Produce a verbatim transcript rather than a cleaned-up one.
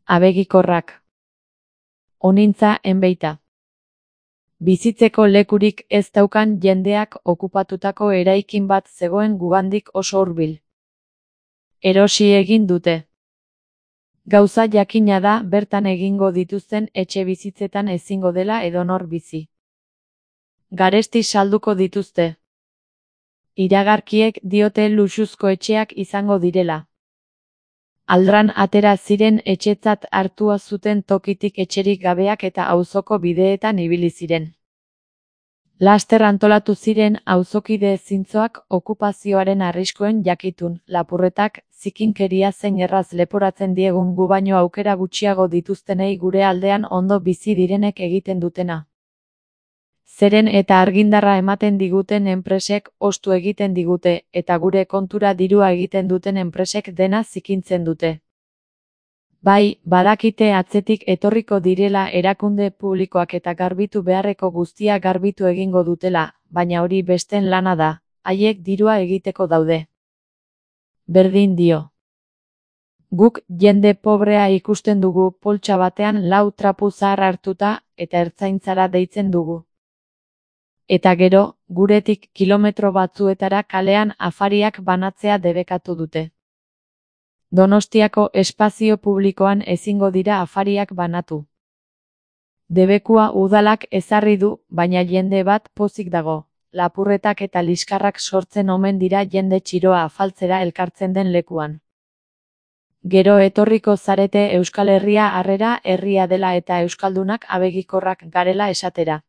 Abegikorrak. Honintza enbeita. Bizitzeko lekurik ez daukan jendeak okupatutako eraikin bat zegoen gugandik oso hurbil. Erosi egin dute. Gauza jakina da bertan egingo dituzten etxe bizitzetan ezingo dela edonor bizi. Garesti salduko dituzte. Iragarkiek diote luxuzko etxeak izango direla. Aldran atera ziren etxetzat hartua zuten tokitik etxerik gabeak eta auzoko bideetan ibili ziren. Laster antolatu ziren auzokide zintzoak okupazioaren arriskuen jakitun, lapurretak, zikinkeria zein erraz leporatzen diegun gu baino aukera gutxiago dituztenei gure aldean ondo bizi direnek egiten dutena. Zeren eta argindarra ematen diguten enpresek ostu egiten digute, eta gure kontura dirua egiten duten enpresek dena zikintzen dute. Bai, badakite atzetik etorriko direla erakunde publikoak eta garbitu beharreko guztia garbitu egingo dutela, baina hori besten lana da, haiek dirua egiteko daude. Berdin dio. Guk jende pobrea ikusten dugu poltsa batean lau trapu zahar hartuta eta ertzaintzara deitzen dugu. Eta gero, guretik kilometro batzuetara kalean afariak banatzea debekatu dute. Donostiako espazio publikoan ezingo dira afariak banatu. Debekua udalak ezarri du, baina jende bat pozik dago. Lapurretak eta liskarrak sortzen omen dira jende txiroa afaltzera elkartzen den lekuan. Gero etorriko zarete Euskal Herria harrera herria dela eta euskaldunak abegikorrak garela esatera.